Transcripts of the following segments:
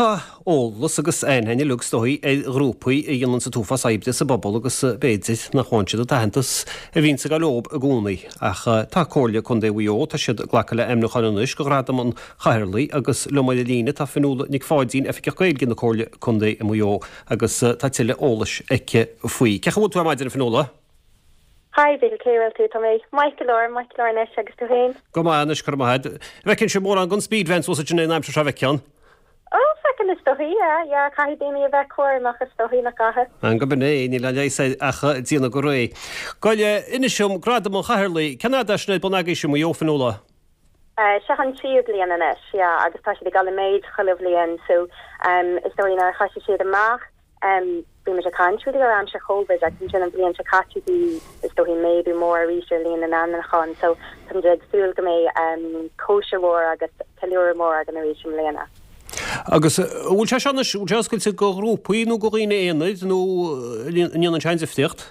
Tá eolas agus aithne againn uilig is dóigh ar ghrúpaí a dhéananns an t-uafás oibre sa bpobal agus b'fhéidir nach bhfaigheann siad an t-aitheantas a bhíonns ag dul leob i gcónaí. Ach tá Comhairle Contae Mhaigh Eo, tá siad ag glacadh le ainmniúcháin anois do Ghradam an Chathaoirligh agus liom ar an líne tá Fionnuala Nic Pháidín, Oifigeach Gaeilge na Comhairle Contae i Maigh Eo agus tá tuilleadh eolais aici faoi. Cén chaoi a bhfuil tú ar maidin a Fionnuala? Hi Mhíchíl, cén chaoi a bhfuil tú? Tá mé maith go leor, maith go leor anois, agus tú féin? Go maith anois, go raibh maith agat. Bhfeiceann sibh mórán den speed van suas ansin an aimsir seo, an bhfeiceann? Ó, feiceann is dóichí, yeah, yeah, caithfidh daoine a bheith cúramach is dóichí, nach gcaithfidh? An gurb in é, níl aon leigheas air ach déanamh go réidh. Gabh i leith, inis dom, Gradam an Chathaoirligh, cén fhad é sin ar bun agaibhse i Maigh Eo, Fionnuala? Seo an tríú bliain anois, yeah, agus tá siad ag dul i méid chuile bhliain, so, is dóichí nuair a thoisigh siad amach, Bhí muid ag caint really ar aimsir Covid agus ansin an bhliain seo caite bhí is dóichí méadú mór arís ar líon na n-ainmniúchán so tá muid ag súil go mbeidh cóisir mhór agus ceiliúradh mór againn arís i mbliana. Agus an bhfuil sé seo anois, an bhfuil sé oscailte do ghrúpaí nó do dhaoine aonair nó an ndéanann sé aon difríocht?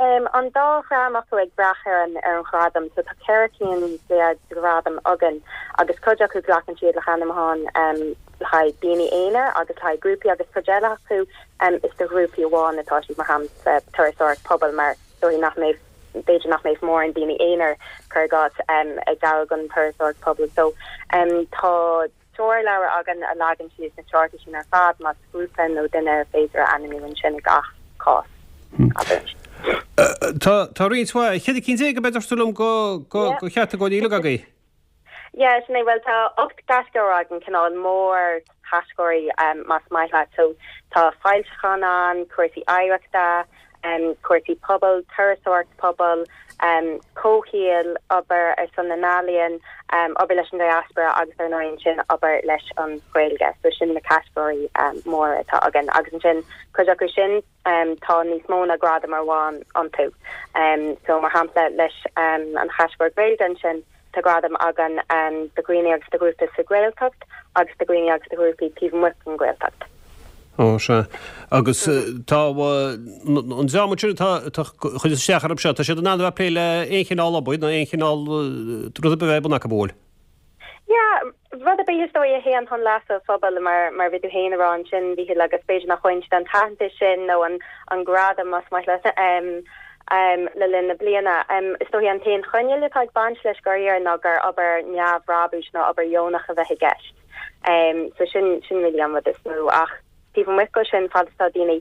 An dá dhream acu ag brath ar an ar an ghradam. So tá 14 cinn de ghradaim againn agus cuid acu glacann siad le hainmniúcháin le haghaidh daoine aonair agus le haghaidh grúpaí agus cuid eile acu is do ghrúpaí amháin atá siad mar shampla turasóireacht pobail mar is dóichí nach mbeidh b'fhéidir nach mbeidh mórán daoine aonair cuir i gcás ag gabháil don turasóireacht pobail. So tá treoirleabhar againn a leagann síos na treoracha sin ar fad, más grúpa nó duine ar féidir a ainmniú ansin i gach cás, abair. Tá, tá roinnt mhaith, 14 cinn ab ea a dúirt tú liom de, de chatagóirí uilig agaibh? Yeah, sin é, bhuel tá 8 gcatagóir againn, cineál mórchatagóirí más maith leat. So tá foilseacháin ann, cúrsaí oidhreachta, cúrsaí pobail, turasóireacht pobail, comhshaoil, obair ar son na n-ealaíon, obair leis an diaspora agus ar ndóigh ansin obair leis an Ghaeilge. So sin na catagóirí móra atá againn. Agus ansin cuid acu sin tá níos mó ná gradam amháin iontu. So mar shampla leis an chatagóir Gaeilge ansin tá gradam againn do dhaoine agus do ghrúpaí sa Ghaeltacht agus do dhaoine agus do ghrúpaí taobh amuigh den Ghaeltacht. Ó, sea. Agus tá an dream ansin atá ag cur isteach orthu seo, tá siad in ann a bheith ag plé le aon chineál obair nó aon chineál rud ar bith a bheith ar bun acu, an bhfuil? Yeah, rud ar bith is dóigh a théann chun leasa an phobail mar mar bhí tú féin a rá ansin, Mhíchíl, agus b'fhéidir nach bhfaigheann siad an t-aitheantas sin nó an an gradam más maith leat le linn na bliana. Is dóigh an t-aon choinníoll atá ag baint leis dáiríre ná gur obair neamhbhrabúis nó obair dheonach a bheith i gceist. So sin sin really an rud is mó ach taobh amuigh de sin fad is tá daoine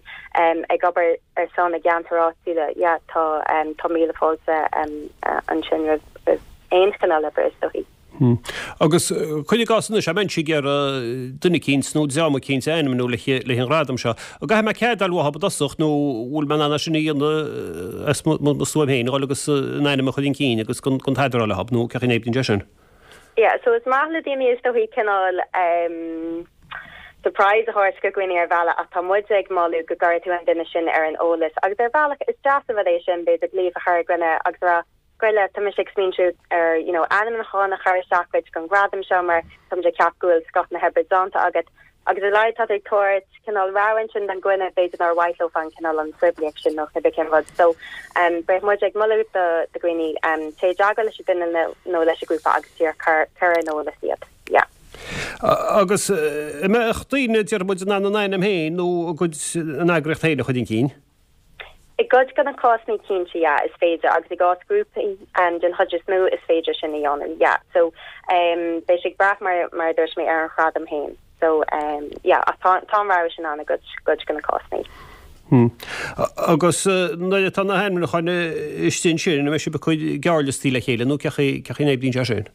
ag obair ar son a gceantar áitiúla yeah tá tá míle fáilte ansin roimh roimh aon chineál oibre is dóichí. Agus cuir i gcás anois, dá mbeinnse ag iarraidh duine eicínt nó dream eicínt a ainmniú le haghaidh an ghradam seo, an gcaithfidh mé cead a fháil uathub i dtosach nó bhfuil mé in ann é sin a dhéanamh as mo stuaim féin, a dhul agus an ainm a chur chun cinn agus gan tada a rá leothub nó cén chaoi a n-oibríonn sé sin? Yeah, so is maith le daoine is dóichí cineál ehm surprise a thabhairt do dhaoine ar bhealach ach tá muid ag moladh go gcuirfidh tú an duine sin ar an eolas agus ar bhealach is deas an rud é sin b'fhéidir glaoch a chur ar dhuine agus a rá gabh i leith tá mise ag smaointiú ar you know ainmniúchán a chur isteach duit don ghradam seo mar tá muid ag ceapadh go bhfuil scoth na hoibre déanta agat Agus ar a laghad tá tú ag tabhairt cineál rabhadh ansin don dhuine, b'fhéidir nár mhaith leo an cineál an phoiblíocht sin nó cibé cén rud. So beidh muid ag moladh do dhaoine téigh i dteagmháil leis an duine nó leis an ghrúpa agus díreach cuir ar an eolas iad. Yeah. Agus an mbeadh daoine, déarfaidh muid, in ann a n-ainm féin nó a gcuid, a n-eagraíocht féin a chur chun cinn? I gcuid de na cásanna cinnte, yeah, is féidir, agus i gcás grúpaí, den chuid is mó, is féidir sin a dhéanamh, yeah. So, beidh sé ag brath, mar, mar a dúirt mé, ar an ghradam féin. So, yeah, ach tá, tá an rogha sin ann i gcuid, gcuid de na cásanna. Hmm. Agus nuair atá na hainmniúcháin istigh ansin, an mbeidh sibh ag cur gearrliostaí le chéile nó cén chaoi, cén chaoi a n-oibríonn sé sin?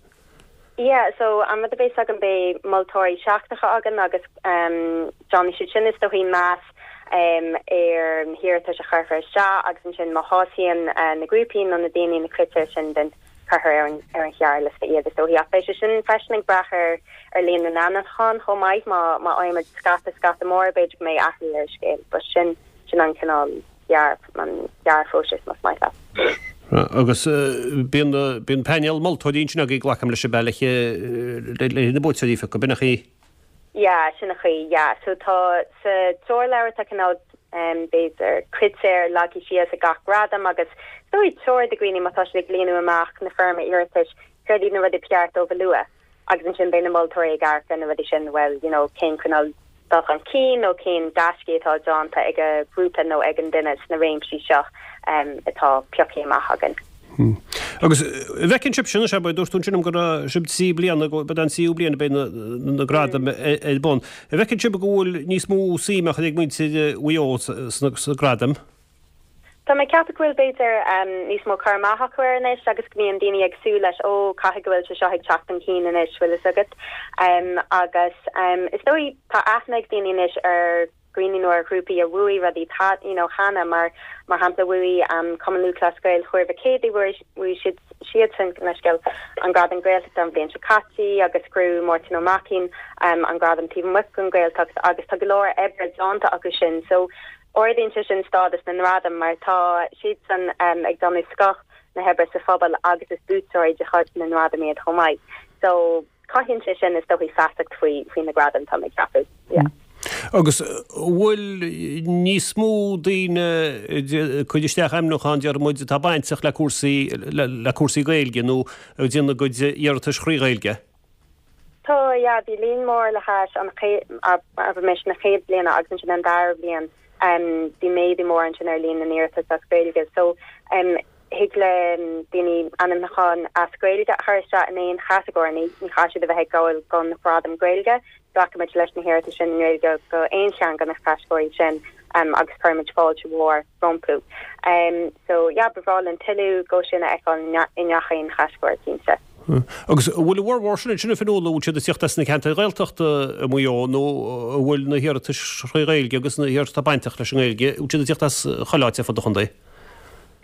Yeah, so an rud a bheas againn beidh moltóirí seachtracha againn agus déanfaidh siad sin is dóichí meas ar na hiarratais a chuirfear isteach agus ansin má shásaíonn na grúpaí nó na daoine na critéir sin then cuirfear ar an ar an ghearrliosta iad is dóichí. Ach beidh sé sin freisin ag brath ar ar líon na n-ainmniúchán chomh maith má má fhaighimid scata scata mór b'fhéidir go mbeidh athrú ar an scéal but sin sin an cineál an gearrphróiseas más maith leat. Agus bíonn bíonn painéal moltóirí ansin agaibh glacaim leis ab ea le le na buaiteoirí a phiocadh, b'in an chaoi? Yeah, sin an chaoi, yeah. So tá sa treoirleabhar tá cineál b'fhéidir critéir leagtha síos ag gach gradam agus is dóigh treoir do dhaoine má tá siad ag líonadh amach na foirme iarratais céard iad na rudaí ba cheart dóibh a lua. Agus ansin beidh na moltóirí ag amharc ar na rudaí sin, bhuel, you know, cén cineál dul chun cinn nó cén gaiscí atá déanta ag an ghrúpa nó ag an duine sna réimsí seo atá pioctha amach againn. Agus an bhfeiceann sibhse anois, abair, dúirt tú ansin liom go raibh sibh trí bliana, go b'é an tríú bliain a bheidh na gradaim ar bun. An bhfeiceann sibh go bhfuil níos mó suime á chur ag muintir Mhaigh Eo sna gradaim? Tá mé ag ceapadh go bhfuil, b'fhéidir, níos mó cur amach acu air anois agus go mbíonn daoine ag súil leis, ó, caithfidh go bhfuil sé seo ag teacht chun cinn anois, bhfuil fhios agat. Agus is dóigh, tá aithne ag daoine anois ar dhaoine nó ar ghrúpaí a bhuaigh rudaí you know cheana, mar, mar shampla, bhuaigh Cumann Lúthchleas Gael Thuar Mhic Éadaigh, bhuaigh, bhuaigh siad, siadsan, leithscéal, an Gradam Gaeltachta an bhliain seo caite agus ghnóthaigh Máirtín Ó Maicín an gradam taobh amuigh den Ghaeltacht agus tá go leor oibre déanta acu sin. So, Ardaíonn sé sin stádas na ngradam mar tá siadsan ag déanamh scoth na hoibre sa phobal agus is buaiteoirí de chuid na ngradam iad chomh maith. So, cothaíonn sé sin is dóichí feasacht faoi faoi na gradaim, tá mé ag ceapadh. Yeah. Agus an bhfuil níos mó daoine ag cur isteach ainmniúchán, déarfaidh muid, atá bainteach le cúrsaí le cúrsaí Gaeilge nó ag déanamh a gcuid iarratais thrí Ghaeilge? Tá, yeah, bhí líon mór le hais an chéad, abraimis, na chéad bhliana agus ansin an dara bhliain, bhí méadú mór ansin ar líon na n-iarratas as Gaeilge. So, thig le daoine ainmniúchán as Gaeilge a chur isteach in aon chatagóir, ní chaithfidh siad a bheith ag gabháil don ghradam Gaeilge, glacaimid leis na hiarratais sin i nGaeilge go aon cheann de na catagóirí sin agus cuirimid fáilte mhór rompu. So, yeah, ba bhreá linn tuilleadh dhó sin a fheiceáil i ngach aon chatagóir, cinnte. Agus an bhfuil a bhformhór sin ansin, a Fionnuala, an bhfuil siad ag tíocht as na ceantair Ghaeltachta i Maigh Eo nó an bhfuil na hiarratais thrí Ghaeilge agus na hiarratais atá bainteach leis an nGaeilge, an bhfuil siad ag tíocht as chuile áit ar fud an chontae?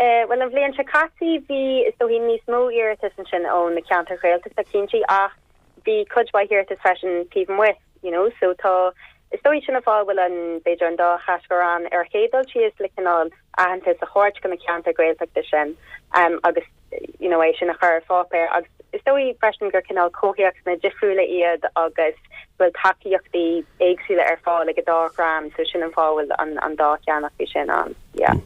Bhuel, an bhliain seo caite bhí, is dóichí, níos mó iarratas ansin ó na ceantair Ghaeltachta, cinnte, ach bhí cuid mhaith iarratas freisin taobh amuigh, you know, so tá, is dóichí sin an fáth a bhfuil an, b'fhéidir an dá chatagóir ann ar an chéad dul síos le cineál aitheantas a thabhairt do na ceantair Ghaeltachta sin agus you know é sin a chur ar pháipéar agus is dóigh freisin gur cineál comhthéacsanna difriúla iad agus go bhfuil tacaíochtaí éagsúla ar fáil ag an dá dhream so sin an fáth a bhfuil an an dá cheann acu sin ann yeah.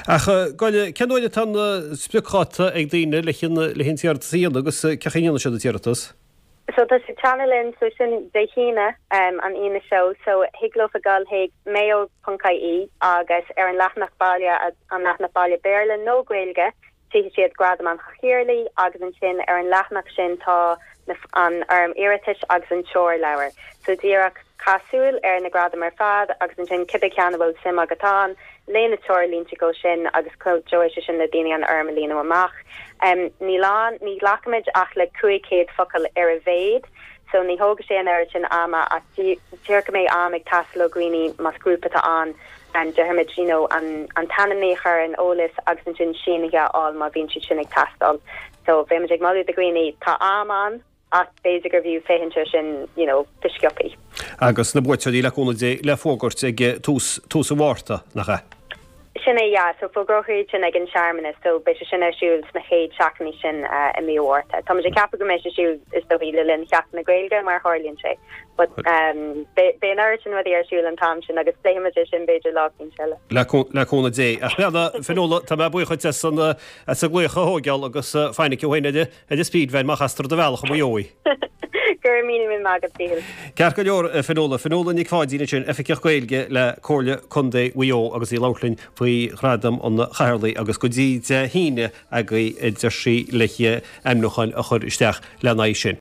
Ach gabh i leith, cén uair atá an spriocdháta ag daoine le le an t-iarratas a dhéanamh agus cén chaoi a ndéanann siad an t-iarratas? So tá sé ag teannadh linn, so sin Dé hAoine, an Aoine seo, so thig leofa dul chuig mayo.ie agus ar an leathanach baile, an leathanach baile Béarla nó Gaeilge, tchífidh siad Gradam an Chathaoirligh agus ansin ar an leathanach sin tá na, an fhoirm iarratais agus an treoirleabhar. So díreach caith súil ar na gradaim ar fad agus ansin cibé ceann a bhfuil suim agat ann, Léigh na treoirlínte dhó sin agus cuideoidh sé sin le daoine an fhoirm a líonadh amach. Níl ann, ní ghlacaimid ach le 500 focal ar a mhéad, so ní thógfaidh sé an oiread sin ama ach díreach go mbeidh am ag teastáil ó dhaoine más grúpa atá ann, déarfaimid, you know, an t-ainmní a chur ar eolas agus ansin sínithe a fháil má bhíonn siad sin ag teastáil. So bheimid ag moladh do dhaoine, tá am ann, ach b'fhéidir gurbh fhiú féachaint air sin you know go sciobthaí. Agus na buaiteoirí, le cúnamh Dé, le fógairt ag tús, tús an Mhárta, nach ea? Sin é, yeah. So fógrófar iad sin ag an searmanas, so beidh sé sin ar siúl sna chéad seachtainí sin i mí an Mhárta. Táimid ag ceapadh go mbeidh sé siúl is dóichí le linn Sheachtain na Gaeilge mar a tharlaíonn sé. But um, beidh an oiread sin rudaí ar siúl an t-am sin agus pléifimid é sin b'fhéidir lá éicint eile. Le cúnamh Dé. Ach bhuel, a Fionnuala, tá mé buíoch duit as an, as an glaoch a thógáil agus fainic thú féin ar Ar an speed van má chastar ar do bhealach i Maigh Eo í. Go raibh míle míle maith agat, Mhíchíl. Ceart go leor, a Fionnuala. Fionnuala Nic Pháidín ansin, Oifigeach Gaeilge le Comhairle Contae Mhaigh Eo agus í ag labhairt linn faoi Ghradam an Chathaoirligh agus go dtí Dé hAoine agaibh a deir sí le hainmniúcháin a chur isteach lena aghaidh sin.